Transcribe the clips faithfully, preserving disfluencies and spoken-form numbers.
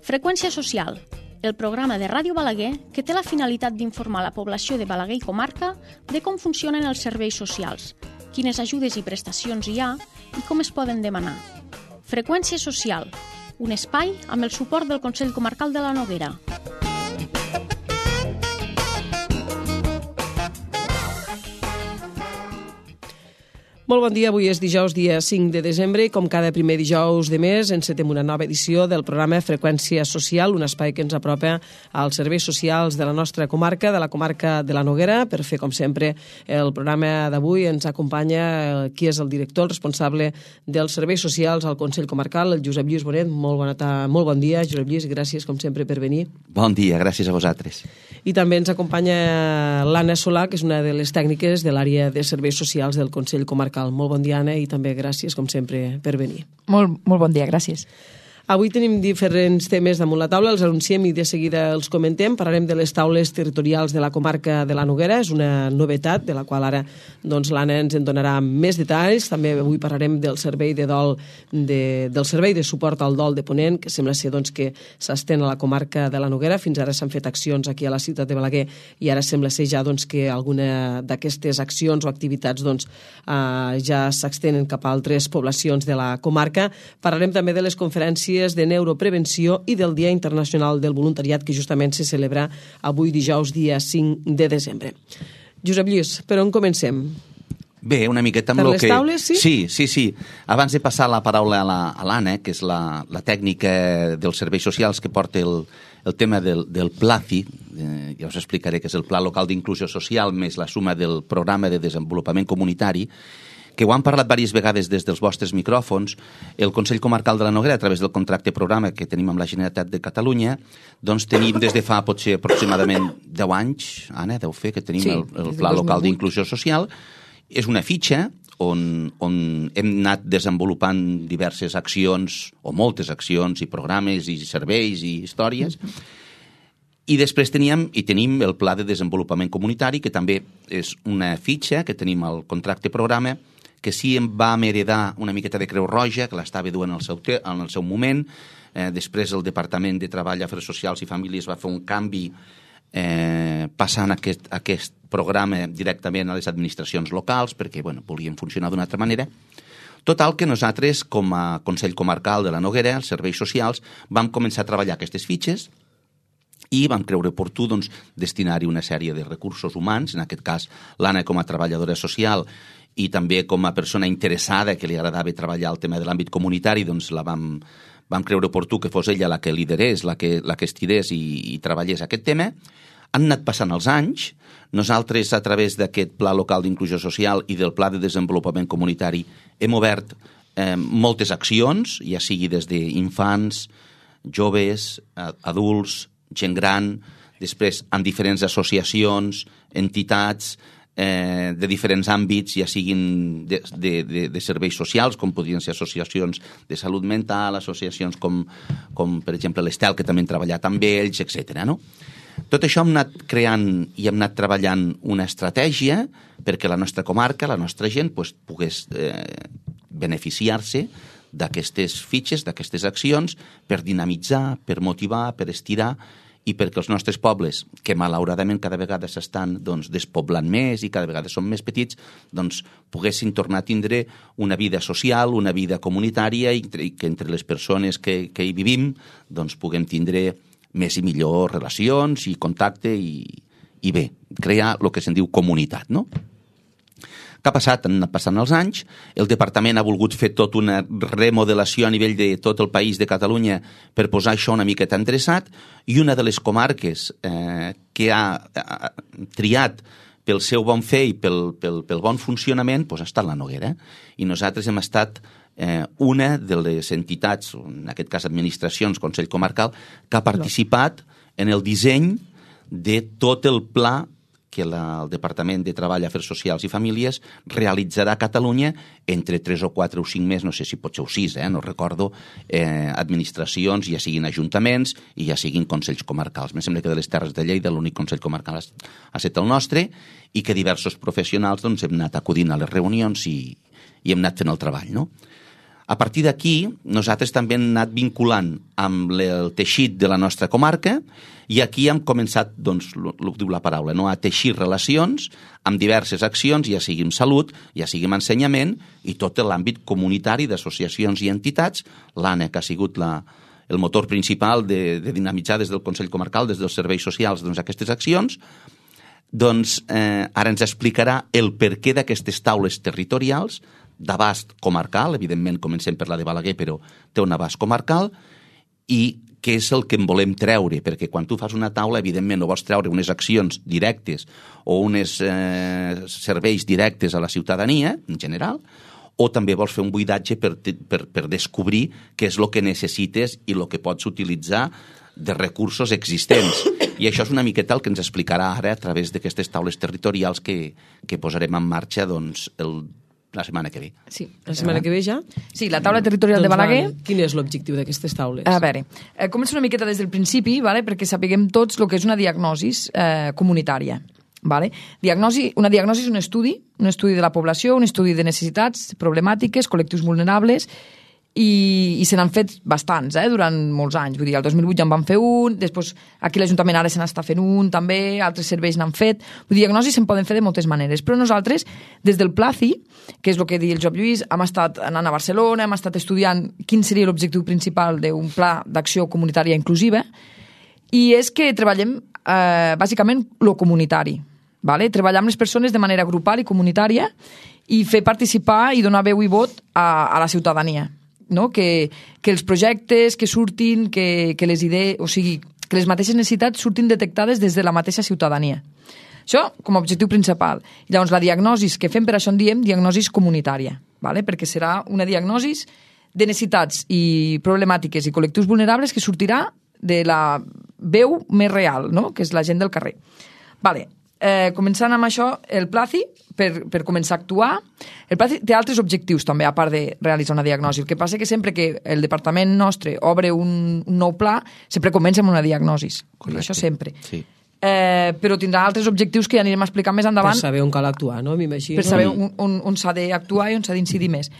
Freqüència social, el programa de Ràdio Balaguer que té la finalitat d'informar la població de Balaguer i comarca de com funcionen els serveis socials, quines ajudes i prestacions hi ha i com es poden demanar. Freqüència social, un espai amb el suport del Consell Comarcal de la Noguera. Molt bon dia, avui és dijous, dia cinc de desembre, i com cada primer dijous de mes encetem una nova edició del programa Freqüència Social, un espai que ens apropa als serveis socials de la nostra comarca, de la comarca de la Noguera. Per fer, com sempre, el programa d'avui ens acompanya qui és el director, el responsable dels serveis socials al Consell Comarcal, el Josep Lluís Bonet. Molt, bona ta... Molt bon dia, Josep Lluís, i gràcies, com sempre, per venir. Bon dia, gràcies a vosaltres. I també ens acompanya l'Anna Solà, que és una de les tècniques de l'àrea de serveis socials del Consell Comarcal. Molt bon dia, Anna, i també gràcies, com sempre, per venir. Molt, molt bon dia, gràcies. Avui tenim diferents temes damunt la taula, els anunciem i de seguida els comentem. Parlarem de les taules territorials de la comarca de la Noguera, és una novetat de la qual ara doncs, l'Anna ens en donarà més detalls. També avui parlarem del servei de dol, de, del servei de suport al dol de Ponent, que sembla ser doncs, que s'estén a la comarca de la Noguera. Fins ara s'han fet accions aquí a la ciutat de Balaguer i ara sembla ser ja doncs, que alguna d'aquestes accions o activitats doncs, eh, ja s'extenen cap a altres poblacions de la comarca. Parlarem també de les conferències de neuroprevenció i del Dia Internacional del Voluntariat, que justament se celebra avui dijous, dia cinc de desembre. Josep Lluís, per on comencem? Bé, una miqueta amb per el les que... taules, sí? Sí, sí, sí. Abans de passar la paraula a l'Anna, que és la, la tècnica dels serveis socials que porta el, el tema del, del PLACI, eh, ja us explicaré que és el Pla Local d'Inclusió Social, més la suma del Programa de Desenvolupament Comunitari, que ho han parlat diverses vegades des dels vostres micròfons. El Consell Comarcal de la Noguera, a través del contracte programa que tenim amb la Generalitat de Catalunya, doncs tenim des de fa potser aproximadament deu anys, Anna, deu fer, que tenim sí, el, el Pla Local d'Inclusió Social. És una fitxa on, on hem anat desenvolupant diverses accions, o moltes accions, i programes, i serveis, i històries. I després teníem i tenim el Pla de Desenvolupament Comunitari, que també és una fitxa que tenim al contracte programa, que sí em va heredar una miqueta de Creu Roja, que l'estava duent en el seu, en el seu moment. Eh, després el Departament de Treball, Afers Socials i Famílies va fer un canvi eh, passant aquest, aquest programa directament a les administracions locals, perquè bueno, volien funcionar d'una altra manera. Total, que nosaltres, com a Consell Comarcal de la Noguera, els serveis socials, vam començar a treballar aquestes fitxes i vam creure oportú doncs, destinar-hi una sèrie de recursos humans, en aquest cas l'Anna com a treballadora social i també com a persona interessada que li agradava treballar el tema de l'àmbit comunitari, doncs la vam, vam creure oportú que fos ella la que liderés, la que, la que estirés i, i treballés aquest tema. Han anat passant els anys. Nosaltres, a través d'aquest Pla Local d'Inclusió Social i del Pla de Desenvolupament Comunitari, hem obert eh, moltes accions, ja sigui des d'infants, joves, adults, gent gran, després amb diferents associacions, entitats, eh, de diferents àmbits, ja siguin de, de, de, de serveis socials, com podrien ser associacions de salut mental, associacions com, com per exemple l'Estel, que també hem treballat amb ells, etcètera, no? Tot això hem anat creant i hem anat treballant una estratègia perquè la nostra comarca, la nostra gent, pues, pogués eh, beneficiar-se d'aquestes fitxes, d'aquestes accions, per dinamitzar, per motivar, per estirar, i perquè els nostres pobles, que malauradament cada vegada s'estan doncs, despoblant més i cada vegada són més petits, doncs poguessin tornar a tindre una vida social, una vida comunitària i que entre les persones que, que hi vivim doncs, puguem tindre més i millor relacions i contacte i, i bé, crear el que se'n diu comunitat, no? Què ha passat? Han anat passant els anys, el departament ha volgut fer tota una remodelació a nivell de tot el país de Catalunya per posar això una miqueta endreçat, i una de les comarques eh, que ha, ha triat pel seu bon fer i pel, pel, pel bon funcionament doncs ha estat la Noguera. I nosaltres hem estat eh, una de les entitats, en aquest cas administracions, Consell Comarcal, que ha participat en el disseny de tot el pla que la, el Departament de Treball, Afers Socials i Famílies realitzarà a Catalunya entre tres o quatre o cinc mesos, no sé si pot ser o sis, eh, no recordo, eh, administracions, ja siguin ajuntaments i ja siguin consells comarcals. Em sembla que de les Terres de Lleida l'únic consell comarcal ha, ha estat el nostre i que diversos professionals doncs, hem anat acudint a les reunions i, i hem anat fent el treball, no? A partir d'aquí, nosaltres també hem anat vinculant amb el teixit de la nostra comarca i aquí hem començat, doncs, el que diu la paraula, no? A teixir relacions amb diverses accions, ja sigui en salut, ja sigui en ensenyament i tot l'àmbit comunitari d'associacions i entitats. L'A N E, que ha sigut la, el motor principal de, de dinamitzar des del Consell Comarcal, des dels serveis socials, doncs, aquestes accions, doncs eh, ara ens explicarà el perquè d'aquestes taules territorials d'abast comarcal, evidentment comencem per la de Balaguer, però té un abast comarcal, i què és el que en volem treure, perquè quan tu fas una taula, evidentment, no vols treure unes accions directes o uns eh, serveis directes a la ciutadania, en general, o també vols fer un buidatge per, per, per descobrir què és el que necessites i el que pots utilitzar de recursos existents. I això és una miqueta el que ens explicarà ara a través d'aquestes taules territorials que, que posarem en marxa, doncs, el la setmana que ve. Sí, la setmana que ve ja? Sí, la taula territorial doncs de Balaguer. Va, quin és l'objectiu d'aquestes taules? A veure, eh, començo una miqueta des del principi, vale? Perquè sapiguem tots el que és una diagnosi eh, comunitària. Vale? Diagnosi, una diagnosi és un estudi, un estudi de la població, un estudi de necessitats, problemàtiques, col·lectius vulnerables, i, i se n'han fet bastants, eh, durant molts anys. Vull dir, el dos mil vuit ja en van fer un, després aquí l'Ajuntament ara se n'està fent un, també, altres serveis n'han fet. Vull dir, diagnosis se'n poden fer de moltes maneres, però nosaltres, des del Placi, que és el que diu el Job Lluís, hem estat anant a Barcelona, hem estat estudiant quin seria l'objectiu principal d'un pla d'acció comunitària inclusiva, i és que treballem eh, bàsicament lo comunitari. Vale? Treballar amb les persones de manera grupal i comunitària i fer participar i donar veu i vot a, a la ciutadania. No? Que, que els projectes que surtin, que, que les idees, o sigui, que les mateixes necessitats surtin detectades des de la mateixa ciutadania. Això com a objectiu principal. I llavors la diagnosi que fem, per això en diem diagnosi comunitària, vale? Perquè serà una diagnosi de necessitats i problemàtiques i col·lectius vulnerables que sortirà de la veu més real, no? Que és la gent del carrer. Vale. Eh, començant amb això, el Placi, per, per començar a actuar, el Placi té altres objectius també, a part de realitzar una diagnosi. El que passa és que sempre que el departament nostre obre un, un nou pla, sempre comença amb una diagnosi. Correcte. Això sempre. Sí. Eh, però tindrà altres objectius que ja anirem a explicar més endavant. Per saber on cal actuar, no? M'imagino. Per saber on, on, on s'ha d'actuar i on s'ha d'incidir més.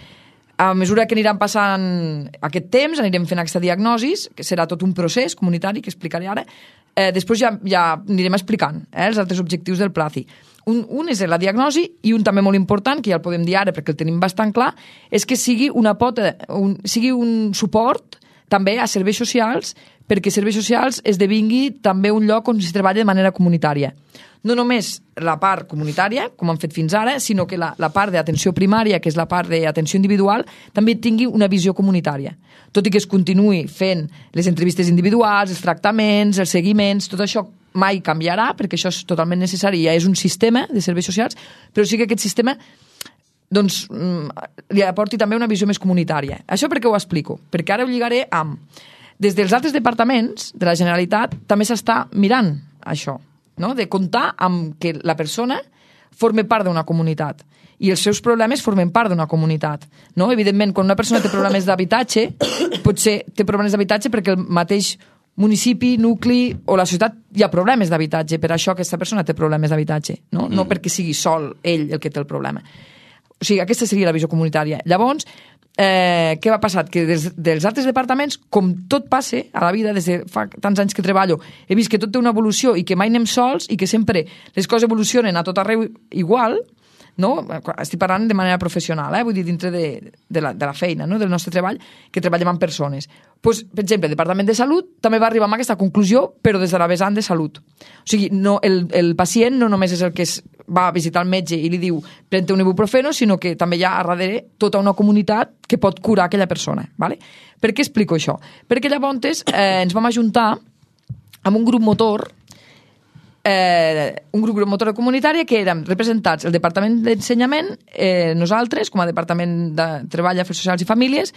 A mesura que aniran passant aquest temps, anirem fent aquesta diagnosi, que serà tot un procés comunitari que explicaré ara. Eh, després ja, ja anirem explicant eh, els altres objectius del Placi. Un, un és la diagnosi i un també molt important, que ja el podem dir ara perquè el tenim bastant clar, és que sigui una pota, un, sigui un suport també a serveis socials, perquè serveis socials esdevingui també un lloc on es treballa de manera comunitària. No només la part comunitària, com han fet fins ara, sinó que la, la part d'atenció primària, que és la part d'atenció individual, també tingui una visió comunitària. Tot i que es continuï fent les entrevistes individuals, els tractaments, els seguiments, tot això mai canviarà, perquè això és totalment necessari, ja és un sistema de serveis socials, però sí que aquest sistema doncs, li aporti també una visió més comunitària. Això per què ho explico? Perquè ara ho lligaré amb... Des dels altres departaments de la Generalitat també s'està mirant això, no? De comptar amb que la persona forme part d'una comunitat i els seus problemes formen part d'una comunitat. No? Evidentment, quan una persona té problemes d'habitatge, potser té problemes d'habitatge perquè el mateix municipi, nucli o la societat hi ha problemes d'habitatge, per això aquesta persona té problemes d'habitatge, no? No perquè sigui sol ell el que té el problema. O sigui, aquesta seria la visió comunitària. Llavors, eh, què va passar? Que des dels altres departaments, com tot passa a la vida, des de fa tants anys que treballo, he vist que tot té una evolució i que mai anem sols i que sempre les coses evolucionen a tot arreu igual, no? Estic parlant de manera professional, eh? Vull dir, dintre de, de, la, de la feina, no? Del nostre treball, que treballem amb persones. Pues, per exemple, el Departament de Salut també va arribar a aquesta conclusió, però des de la vessant de salut. O sigui, no, el, el pacient no només és el que es va a visitar el metge i li diu pren-te un ibuprofeno, sinó que també hi ha a darrere tota una comunitat que pot curar aquella persona. Vale? Per què explico això? Perquè llavors eh, ens vam ajuntar amb un grup motor Eh, un grup motor comunitària que érem representats el Departament d'Ensenyament, eh, nosaltres, com a Departament de Treball, Afers Socials i Famílies,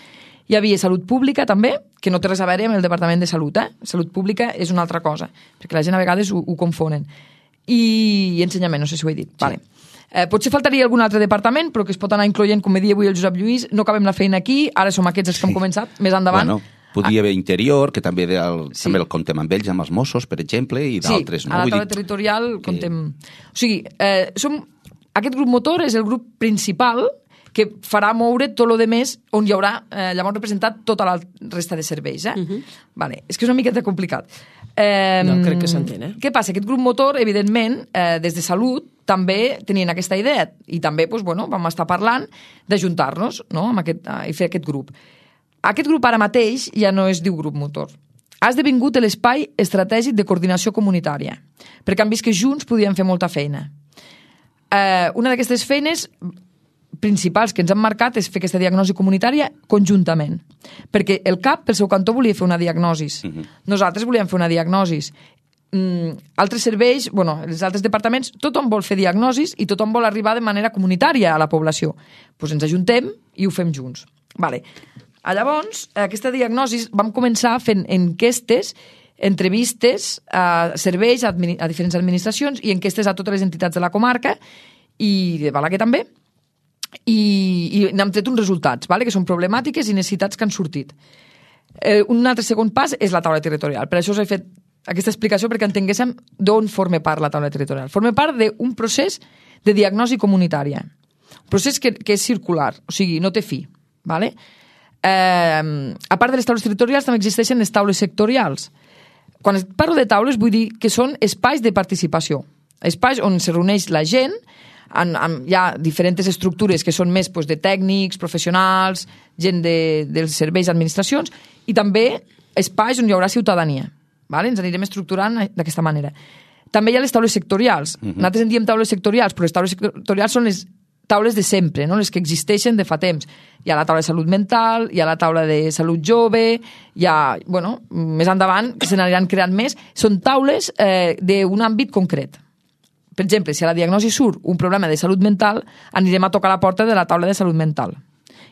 hi havia Salut Pública també, que no té res a veure amb el Departament de Salut. Eh? Salut Pública és una altra cosa, perquè la gent a vegades ho, ho confonen. I, I Ensenyament, no sé si ho he dit. Sí. Vale. Eh, potser faltaria algun altre departament, però que es pot anar incloent, com me dia avui el Josep Lluís, no acabem la feina aquí, ara som aquests els que hem començat, més endavant. Bueno. Podria haver Interior, que també el, sí. també el contem amb ells, amb els Mossos, per exemple, i d'altres. Sí, no? A la taula territorial que... contem... O sigui, eh, som... aquest grup motor és el grup principal que farà moure tot el més on hi haurà eh, llavors representat tota la resta de serveis. Eh? Uh-huh. Vale. És que és una miqueta complicat. Eh, no, crec que s'entén. Eh? Què passa? Aquest grup motor, evidentment, eh, des de Salut, també tenien aquesta idea i també doncs, bueno, vam estar parlant d'ajuntar-nos, no? amb aquest, i fer aquest grup. Aquest grup ara mateix ja no es diu grup motor. Ha esdevingut l'espai estratègic de coordinació comunitària, perquè han vist que junts podien fer molta feina. Eh, una d'aquestes feines principals que ens han marcat és fer aquesta diagnosi comunitària conjuntament, perquè el C A P, pel seu cantó, volia fer una diagnosi. Uh-huh. Nosaltres volíem fer una diagnosi. Mm, altres serveis, bueno, els altres departaments, tothom vol fer diagnosis i tothom vol arribar de manera comunitària a la població. Doncs pues ens ajuntem i ho fem junts. Vale. Llavors, aquesta diagnosi vam començar fent enquestes, entrevistes a serveis, a, a diferents administracions i enquestes a totes les entitats de la comarca i de Balaguer també, i, i n'hem tret uns resultats, vale? Que són problemàtiques i necessitats que han sortit. Eh, un altre segon pas és la taula territorial. Per això us he fet aquesta explicació perquè entenguéssim d'on forma part la taula territorial. Forma part d'un procés de diagnosi comunitària. Un procés que, que és circular, o sigui, no té fi. Vale? Eh, a part de les taules territorials també existeixen les taules sectorials. Quan parlo de taules vull dir que són espais de participació, espais on se reuneix la gent. En, en, hi ha diferents estructures que són més doncs, de tècnics, professionals, gent de, dels serveis, administracions, i també espais on hi haurà ciutadania. Vale? Ens anirem estructurant d'aquesta manera. També hi ha les taules sectorials. Uh-huh. Nosaltres en diem taules sectorials, però les taules sectorials són les taules de sempre, no? Les que existeixen de fa temps. Hi ha la taula de salut mental, hi ha la taula de salut jove, hi ha, bueno, més endavant, que se n'aniran creant més. Són taules eh, d'un àmbit concret. Per exemple, si a la diagnosi surt un problema de salut mental, anirem a tocar la porta de la taula de salut mental.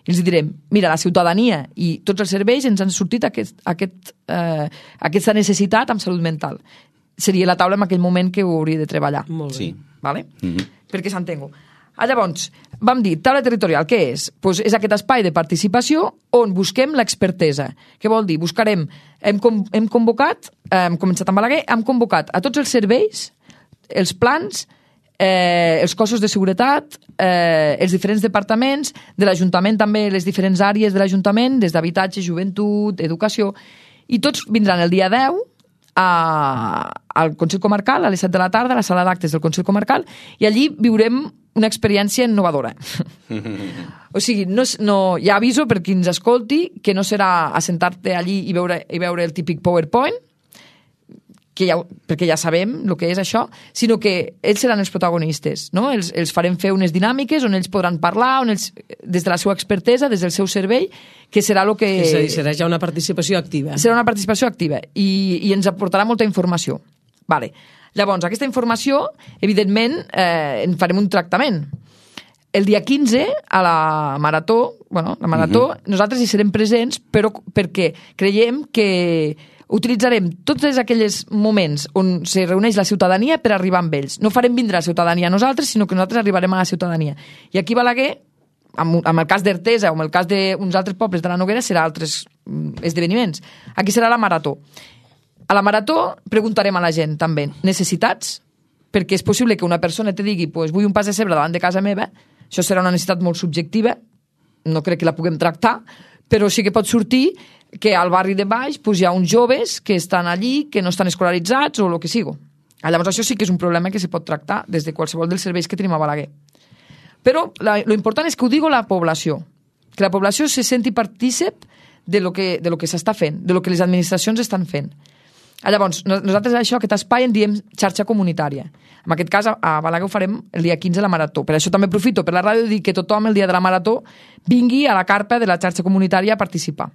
I els direm, mira, la ciutadania i tots els serveis ens han sortit aquest, aquest, eh, aquesta necessitat amb salut mental. Seria la taula en aquell moment que ho hauria de treballar. Molt bé. Sí. Vale? Mm-hmm. Perquè s'entengo. Ah, llavors, vam dir, taula territorial, què és? Pues és aquest espai de participació on busquem l'expertesa. Què vol dir? Buscarem, hem, hem convocat, hem començat amb Balaguer, hem convocat a tots els serveis, els plans, eh, els cossos de seguretat, eh, els diferents departaments, de l'Ajuntament també, les diferents àrees de l'Ajuntament, des d'habitatge, joventut, educació, i tots vindran el dia deu a, al Consell Comarcal, a les set de la tarda, a la sala d'actes del Consell Comarcal, i allí viurem una experiència innovadora. O sigui, no, no, ja aviso per qui ens escolti que no serà assentar-te allí i veure, i veure el típic PowerPoint, que ja, perquè ja sabem el que és això, sinó que ells seran els protagonistes, no? Els, els farem fer unes dinàmiques on ells podran parlar, on ells, des de la seva expertesa, des del seu servei, que serà el que... És a dir, serà ja una participació activa. Serà una participació activa i, i ens aportarà molta informació. Vale. Llavors, aquesta informació, evidentment, eh, en farem un tractament. El dia quinze, a la Marató, bueno, la Marató, uh-huh. nosaltres hi serem presents, però perquè creiem que utilitzarem tots aquells moments on se reuneix la ciutadania per arribar amb ells. No farem vindre la ciutadania a nosaltres, sinó que nosaltres arribarem a la ciutadania. I aquí a Balaguer, amb, amb el cas d'Artesa o amb el cas d'uns altres pobles de la Noguera, serà altres esdeveniments. Aquí serà la Marató. A la Marató preguntarem a la gent també necessitats, perquè és possible que una persona te digui pues, vull un pas de cebre davant de casa meva, això serà una necessitat molt subjectiva, no crec que la puguem tractar, però sí que pot sortir que al barri de baix pues, hi ha uns joves que estan allí, que no estan escolaritzats o el que sigui. Llavors això sí que és un problema que se pot tractar des de qualsevol dels serveis que tenim a Balaguer. Però lo important és que ho digo la població, que la població se senti partícip de lo que, de lo que s'està fent, de lo que les administracions estan fent. Llavors, nosaltres això, aquest espai en diem xarxa comunitària. En aquest cas, a Balaguer ho farem el dia quinze a la Marató. Per això també aprofito per la ràdio de dir que tothom el dia de la Marató vingui a la carpa de la xarxa comunitària a participar.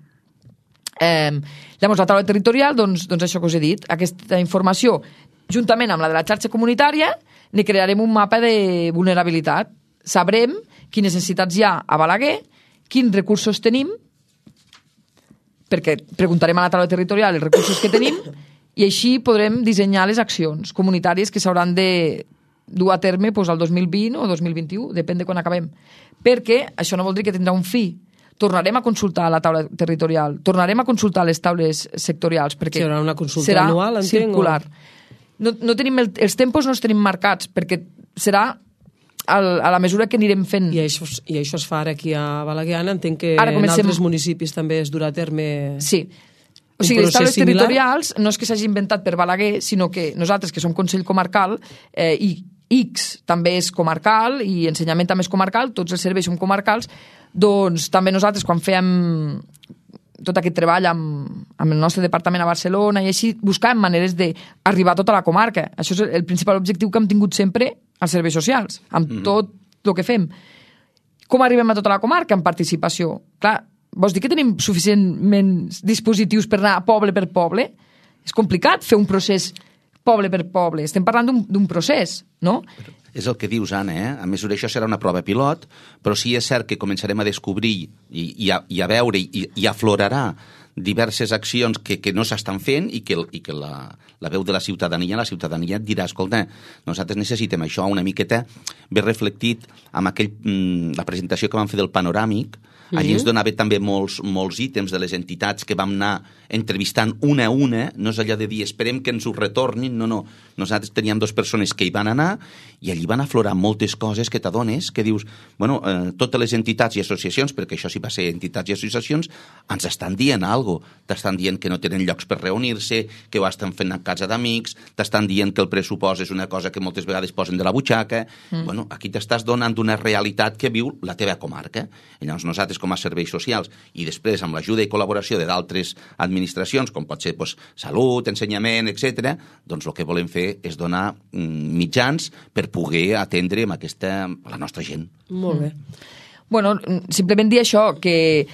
Eh, llavors, la taula territorial, doncs, doncs això que us he dit, aquesta informació, juntament amb la de la xarxa comunitària, ne crearem un mapa de vulnerabilitat. Sabrem quines necessitats hi ha a Balaguer, quins recursos tenim, perquè preguntarem a la taula territorial els recursos que tenim, i així podrem dissenyar les accions comunitàries que s'hauran de dur a terme doncs, el dos mil vint o dos mil vint-i-u, depèn de quan acabem. Perquè això no vol dir que tindrà un fi. Tornarem a consultar la taula territorial, tornarem a consultar les taules sectorials, perquè serà una consulta serà anual, entenc, circular. No, no tenim el, els tempos no els tenim marcats, perquè serà a la mesura que anirem fent. I això, i això es fa ara aquí a Balaguer. Entenc que Ara comencem... en altres municipis també es durà a terme... Sí. O sigui, les taules territorials no és que s'hagi inventat per Balaguer, sinó que nosaltres, que som Consell Comarcal, eh, i X també és comarcal, i ensenyament també és comarcal, tots els serveis som comarcals, doncs també nosaltres, quan fèiem tot aquest treball amb, amb el nostre departament a Barcelona i així, buscàvem maneres d'arribar a tota la comarca. Això és el principal objectiu que hem tingut sempre als serveis socials, amb mm. tot el que fem. Com arribem a tota la comarca? En participació. Clar, vols dir que tenim suficientment dispositius per anar poble per poble? És complicat fer un procés poble per poble. Estem parlant d'un procés, no? Però és el que dius, Anna, eh? A mesura això serà una prova pilot, però sí és cert que començarem a descobrir i, i, a, i a veure i, i aflorarà diverses accions que, que no s'estan fent i que, i que la, la veu de la ciutadania, la ciutadania et dirà, escolta, nosaltres necessitem això una miqueta ben reflectit amb aquell, la presentació que vam fer del panoràmic. Allí ens donava també molts, molts ítems de les entitats que vam anar entrevistant una a una, no és allò de dir esperem que ens ho retornin, no, no. Nosaltres teníem dues persones que hi van anar i allí van aflorar moltes coses que t'adones, que dius, bueno, eh, totes les entitats i associacions, perquè això sí va ser entitats i associacions, ens estan dient alguna cosa. T'estan dient que no tenen llocs per reunir-se, que ho estan fent a casa d'amics, t'estan dient que el pressupost és una cosa que moltes vegades posen de la butxaca. Mm. Bueno, aquí t'estàs donant una realitat que viu la teva comarca. I llavors nosaltres, com a serveis socials, i després amb l'ajuda i col·laboració de d'altres administracions, com pot ser doncs, salut, ensenyament, etcètera, doncs el que volem fer és donar mm, mitjans per poder atendre amb aquesta, la nostra gent. Molt bé. Bueno, simplement dir això, que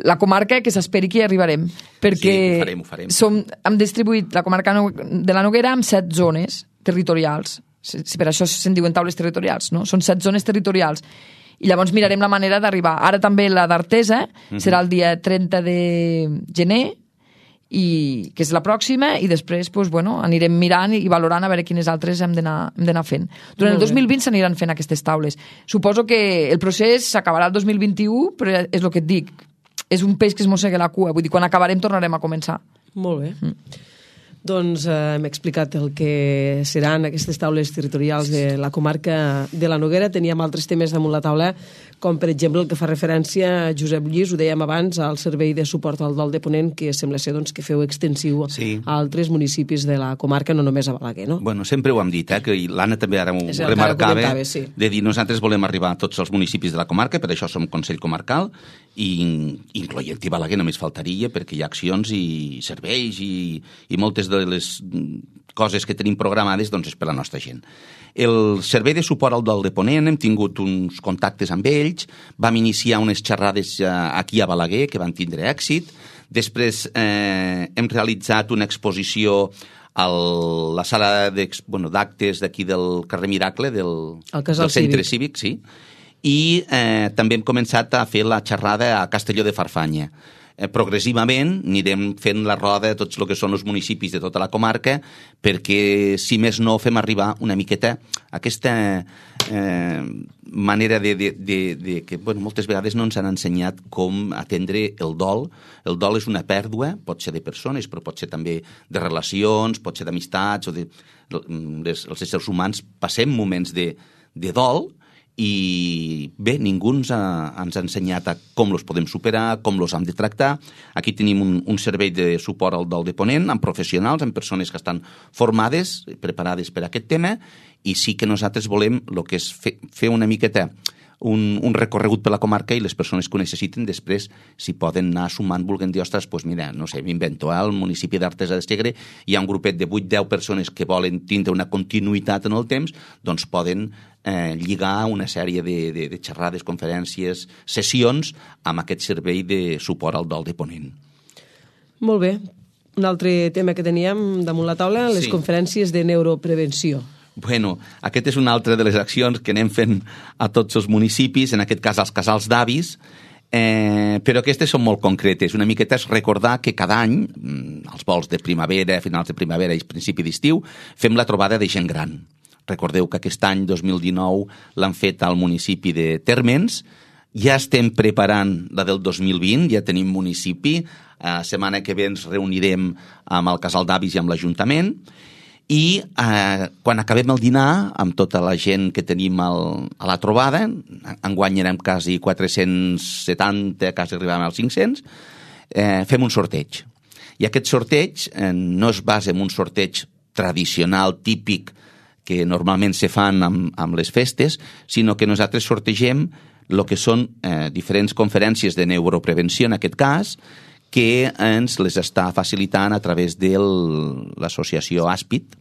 la comarca que s'esperi que hi arribarem, perquè sí, ho farem, ho farem. Som, hem distribuït la comarca de la Noguera en set zones territorials. Si per això se'n diuen taules territorials, no? Són set zones territorials. I llavors mirarem la manera d'arribar. Ara també la d'Artesa mm-hmm. serà el dia trenta de gener, i que és la pròxima, i després doncs, bueno, anirem mirant i valorant a veure quines altres hem d'anar fent. Durant el dos mil vint s'aniran fent aquestes taules. Suposo que el procés s'acabarà el dos mil vint-i-u, però és el que et dic, és un peix que es mossega la cua, vull dir, quan acabarem tornarem a començar. Molt bé. Mm. Doncs eh, hem explicat el que seran aquestes taules territorials de la comarca de la Noguera. Teníem altres temes damunt la taula, com per exemple el que fa referència a Josep Lluís, ho dèiem abans, al servei de suport al dol de Ponent, que sembla ser doncs, que feu extensiu sí. a altres municipis de la comarca, no només a Balaguer, no? Bueno, sempre ho hem dit, eh, que l'Anna també ara m'ho remarcava, sí. de dir nosaltres volem arribar a tots els municipis de la comarca, per això som Consell Comarcal, i incloent-hi Balaguer només faltaria, perquè hi ha accions i serveis i, i moltes de les coses que tenim programades doncs és per la nostra gent. El servei de suport al dol de Ponent, hem tingut uns contactes amb ells, vam iniciar unes xerrades aquí a Balaguer que van tindre èxit, després eh, hem realitzat una exposició a la sala d'actes bueno, d'aquí del carrer Miracle del, del centre cívic, sí, i eh, també hem començat a fer la xerrada a Castelló de Farfanya. Eh, progressivament anirem fent la roda de tots el que són els municipis de tota la comarca perquè, si més no, fem arribar una miqueta aquesta eh, manera de, de, de, de que bueno, moltes vegades no ens han ensenyat com atendre el dol. El dol és una pèrdua, pot ser de persones, però pot ser també de relacions, pot ser d'amistats, o de, les, els éssers humans passem moments de, de dol, i bé, ningú ens ha, ens ha ensenyat a com els podem superar, com els hem de tractar. Aquí tenim un, un servei de suport al dol de Ponent, amb professionals, amb persones que estan formades, preparades per a aquest tema, i sí que nosaltres volem el que és fer, fer una miqueta un, un recorregut per la comarca, i les persones que ho necessiten després, si poden anar sumant, vulguin dir, ostres, doncs mira, no sé, m'invento, al municipi d'Artesa de Segre hi ha un grupet de vuit deu persones que volen tindre una continuïtat en el temps, doncs poden eh, lligar una sèrie de, de, de xerrades, conferències, sessions amb aquest servei de suport al dol de Ponent. Molt bé. Un altre tema que teníem damunt la taula, les sí. conferències de neuroprevenció. Bueno, aquest és una altra de les accions que anem fent a tots els municipis, en aquest cas als casals d'avis, eh, però aquestes són molt concretes. Una miqueta és recordar que cada any, als vols de primavera, finals de primavera i principi d'estiu, fem la trobada de gent gran. Recordeu que aquest any, dos mil dinou, l'han fet al municipi de Térmens. Ja estem preparant la del dos mil vint, ja tenim municipi. La setmana que ve ens reunirem amb el casal d'avis i amb l'Ajuntament. i eh, quan acabem el dinar, amb tota la gent que tenim al, a la trobada, enguany érem quasi quatre-cents setanta, quasi arribàvem als cinc-cents, eh, fem un sorteig. I aquest sorteig eh, no es basa en un sorteig tradicional, típic, que normalment se fan amb, amb les festes, sinó que nosaltres sortegem el que són eh, diferents conferències de neuroprevenció, en aquest cas, que ens les està facilitant a través de l'associació Àspid.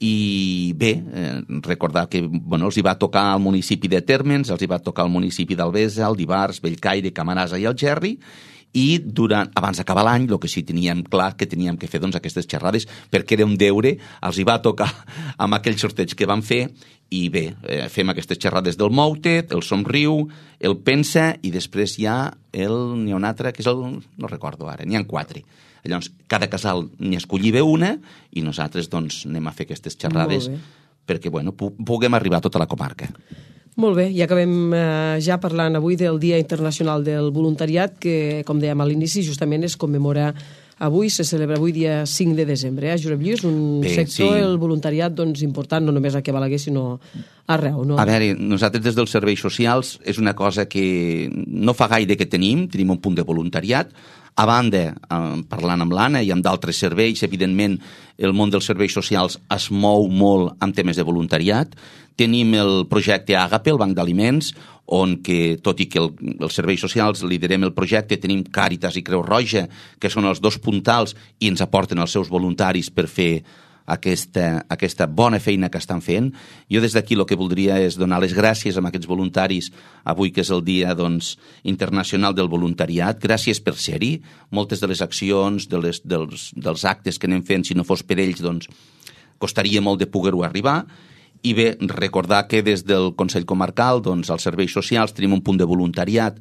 I bé, eh, recordar que bueno, els hi va tocar al municipi de Térmens, els hi va tocar al municipi d'Albesa, el d'Ivars, Bellcaire, Camarasa i Algerri, i durant, abans d'acabar l'any, el que sí teníem clar que teníem que fer doncs, aquestes xerrades, perquè era un deure, els hi va tocar amb aquell sorteig que van fer, i bé, eh, fem aquestes xerrades del Moutet, el Somriu, el Pensa, i després hi ha el, n'hi ha un altre, que és el, no recordo ara, n'hi ha quatre. Llavors, cada casal n'hi escolliva una, i nosaltres doncs anem a fer aquestes xerrades perquè bueno, pu puguem arribar a tota la comarca. Molt bé, i acabem eh, ja parlant avui del Dia Internacional del Voluntariat, que, com dèiem a l'inici, justament es commemora avui, se celebra avui dia cinc de desembre. Eh? Josep Lluís, un bé, sector, sí. El voluntariat, doncs, important, no només aquí a Balaguer, sinó arreu. No? A veure, nosaltres des dels serveis socials és una cosa que no fa gaire que tenim, tenim un punt de voluntariat. A banda, eh, parlant amb l'Anna i amb d'altres serveis, evidentment, el món dels serveis socials es mou molt amb temes de voluntariat. Tenim el projecte Àgape, el Banc d'Aliments, on, que, tot i que el, els serveis socials liderem el projecte, tenim Càritas i Creu Roja, que són els dos puntals i ens aporten els seus voluntaris per fer aquesta, aquesta bona feina que estan fent. Jo des d'aquí el que voldria és donar les gràcies a aquests voluntaris avui, que és el Dia doncs, Internacional del Voluntariat. Gràcies per ser-hi. Moltes de les accions, de les, dels, dels actes que anem fent, si no fos per ells, doncs, costaria molt de poder-ho arribar. I bé, recordar que des del Consell Comarcal, doncs, als serveis socials, tenim un punt de voluntariat,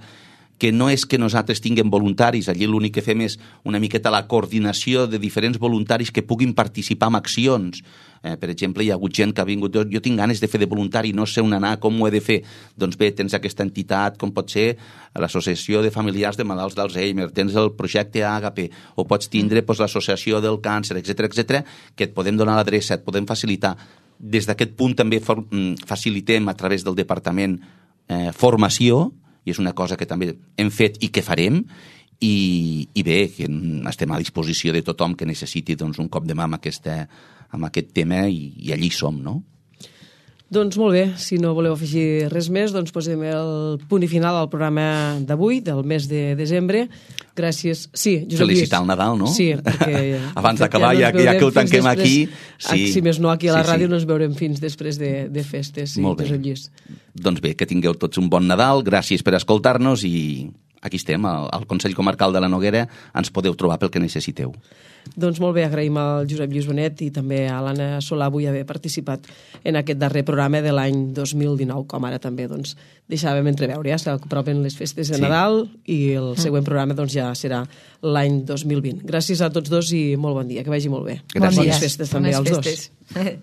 que no és que nosaltres tinguem voluntaris, allí l'únic que fem és una miqueta la coordinació de diferents voluntaris que puguin participar en accions. Eh, per exemple, hi ha hagut gent que ha vingut, jo, jo tinc ganes de fer de voluntari, no sé on anar, com ho he de fer. Doncs bé, tens aquesta entitat, com pot ser l'Associació de Familiars de Malalts d'Alzheimer, tens el projecte Àgape, o pots tindre doncs, l'Associació del Càncer, etcètera, etcètera, que et podem donar l'adreça, et podem facilitar. Des d'aquest punt també for, facilitem a través del departament eh, formació, i és una cosa que també hem fet i que farem, i, i bé, que estem a disposició de tothom que necessiti doncs, un cop de mà amb, aquesta, amb aquest tema, i, i allí som, no? Doncs molt bé, si no voleu afegir res més, doncs posem el punt i final al programa d'avui, del mes de desembre. Gràcies. Sí, Josep Lluís. Felicitar el Nadal, no? Sí, perquè... Abans d'acabar, ja, ja que ho tanquem després, aquí... Sí. Si més no, aquí a la sí, ràdio sí. no ens veurem fins després de, de festes. Sí, molt bé. Josep Lluís. Doncs bé, que tingueu tots un bon Nadal, gràcies per escoltar-nos, i aquí estem, al, al Consell Comarcal de la Noguera, ens podeu trobar pel que necessiteu. Doncs molt bé, agraïm al Josep Lluís Bonet i també a l'Anna Solà avui haver participat en aquest darrer programa de l'any dos mil dinou, com ara també doncs, deixàvem entreveure. Ja s'apropen les festes de sí. Nadal i el següent programa doncs, ja serà l'any dos mil vint. Gràcies a tots dos i molt bon dia, que vagi molt bé. Gràcies. Bones festes també als festes. dos.